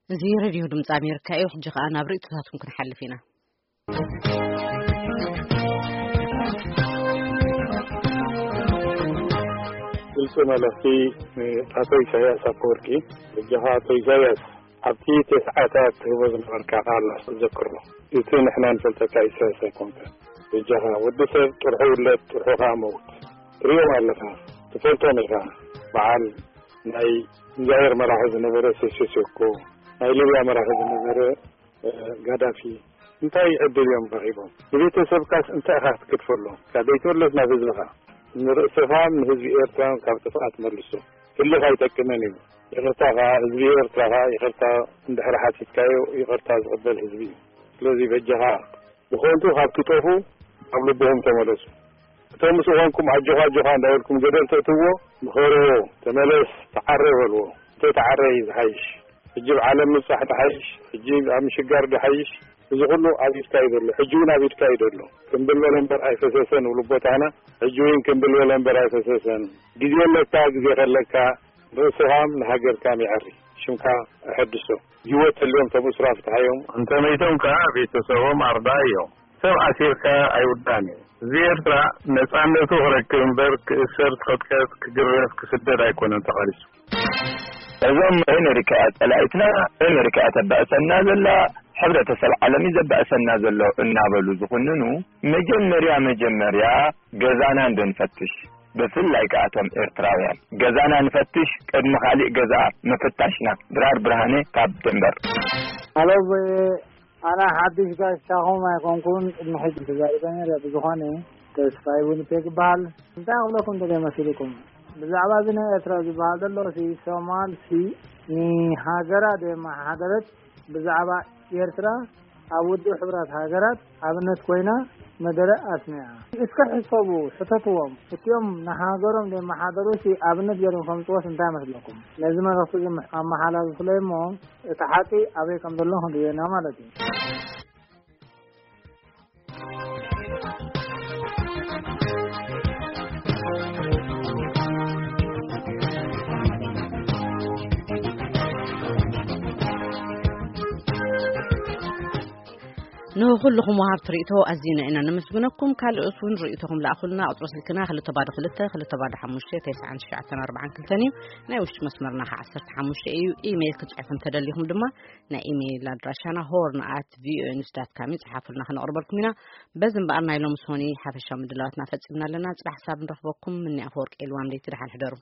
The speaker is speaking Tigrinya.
እዚ ሬድዮ ድምፂ ኣሜሪካ እዩ። ሕጂ ከኣ ናብ ርእይቶታትኩም ክንሓልፍ ኢና። ግልፂ መልእኽቲ ንኣቶ ኢሳያስ ኣፈወርቂ። በጃኻ ኣቶ ኢሳያስ፣ ኣብቲ ተስዓታት ትህቦ ዝነበርካ ቃል ዘክሮ። እቲ ንሕና ንፈልጠካ ኢሳያስ ኣይኮንካ። በጃኻ፣ ወዲ ሰብ ጥርሑ ውለድ፣ ጥርሑ ከኣ መውት። ትሪኦም ኣለኻ፣ ትፈልጦም ኢኻ። በዓል ናይ ዛይር መራሒ ዝነበረ ሴሴሴኮ፣ ናይ ሊብያ መራሒ ዝነበረ፣ እ፣ ጋዳፊ፣ እንታይ ዕድል እዮም ረኺቦም? ንቤተሰብካስ እንታይ ኢኻ ክትገድፈሎም? ካብ ዘይተወለድ ናብ ህዝብኻ፣ ንርእስኻ ንህዝቢ ኤርትራ ካብ ጥፍኣት መልሶ። ህልኽ ኣይጠቅምን እዩ። ይቕርታ ኸዓ፣ ህዝቢ ኤርትራ ኸዓ ይቕርታ እንድሕር ሓቲትካዮ፣ ይቕርታ ዝቕበል ህዝቢ እዩ። ስለዚ በጃኻ፣ ብኸንቱ ካብ ትጠፉ፣ ኣብ ልብኹም ተመለሱ። እቶም ምስ ዝኾንኩም ኣጆኻ ኣጆኻ እንዳበልኩም ገደል ተእትዎ፣ ምኸርዎ፣ ተመለስ፣ ተዓረ በልዎ። እንተ ተዓረ እዩ ዝሓይሽ። ሕጂ ኣብ ዓለም ምብጻሕ ድሓይሽ፣ ሕጂ ኣብ ምሽጋር ድሓይሽ። እዚ ኩሉ ኣብ ኢድካ እዩ ዘሎ። ሕጂ እውን ኣብ ኢድካ እዩ ዘሎ። ክምብል በለ እምበር ኣይፈሰሰን፣ ውሉ ቦታና። ሕጂ እውን ክምብል በለ እምበር ኣይፈሰሰን። ግዜ ኣለካ፣ ግዜ ከለካ፣ ርእስኻም ንሃገርካም ይዓሪ። ሽምካ ኣሐድሶ። ህይወት ተልዮም ተብስራ ፍትሓዮም። እንተ መይቶም ከኣ ቤተሰቦም ኣርዳ እዮም። ሰብ ኣሲርካ ኣይውዳን እዩ። ህዝቢ ኤርትራ ነጻነቱ ክረክብ እምበር ክእሰር፣ ክቕጥቀጥ፣ ክግረፍ፣ ክስደድ ኣይኮነን ተቓሊሱ። እዞም ኣሜሪካ ጸላኢትና፣ ኣሜሪካ ተባእሰና ዘላ፣ ሕብረተሰብ ዓለም እዩ ዘባእሰና ዘሎ እናበሉ ዝኹንኑ፣ መጀመርያ መጀመርያ ገዛና እንደንፈትሽ፣ ብፍላይ ከኣ እቶም ኤርትራውያን ገዛና ንፈትሽ፣ ቅድሚ ካሊእ ገዛ ምፍታሽና። ድራር ብርሃነ ካብ ደንበር። ሃሎ፣ ኣነ ሓድሽ ጋሻኹም ኣይኮንኩን፣ ቅድሚ ሕጂ ተዛሪበ ነይረ። ብዝኾነ፣ ተስፋይ ዊኒፔግ ይበሃል። እንታይ ክብለኩም ደልየ መሲልኩም? ብዛዕባ እዚ ናይ ኤርትራ ዝበሃል ዘሎ፣ ሲ ሶማል ሲ ንሃገራ ደየመሓደረት፣ ብዛዕባ ኤርትራ ኣብ ውድብ ሕብራት ሃገራት ኣብነት ኮይና መደረ ኣስሚዓ። እስከ ሕሰቡ፣ ሕተትዎም። እቲኦም ንሃገሮም ደየመሓደሩ ሲ ኣብነት ገይሮም ከምጽዎስ እንታይ መስለኩም? ነዚ መልእኽቲ እዚ ኣመሓላልፉለይ እሞ፣ እቲ ሓቂ ኣበይ ከም ዘሎ ክንርእዮ ኢና ማለት እዩ። ንኹልኹም ወሃብቲ ርእይቶ ኣዚና ኢና ነመስግነኩም። ካልኦት እውን ርእይቶኹም ለኣኹልና። ቁጽሪ ስልክና ክልተ ባዶ ክልተ፣ ክልተ ባዶ ሓሙሽተ፣ ተስዓን ትሽዓተን ኣርባዓን ክልተን እዩ። ናይ ውሽጢ መስመርና ከ ዓሰርተ ሓሙሽተ እዩ። ኢሜይል ክትጽሕፉ እንተደሊኹም ድማ ናይ ኢሜይል ኣድራሻና ሆርን ኣት ቪኦኤ ኒውስ ዳት ካም እዩ። ጽሓፉልና፣ ክነቕርበልኩም ኢና። በዚ እምበኣር ናይ ሎሚ ሶኒ ሓፈሻዊ ምድላዋትና ፈጺምና ኣለና። ጽባሕ ክሳብ ንረኽበኩም፣ ምኒ ኣፈወርቂ ኤልዋም ለይቲ፣ ደሓን ሕደሩ።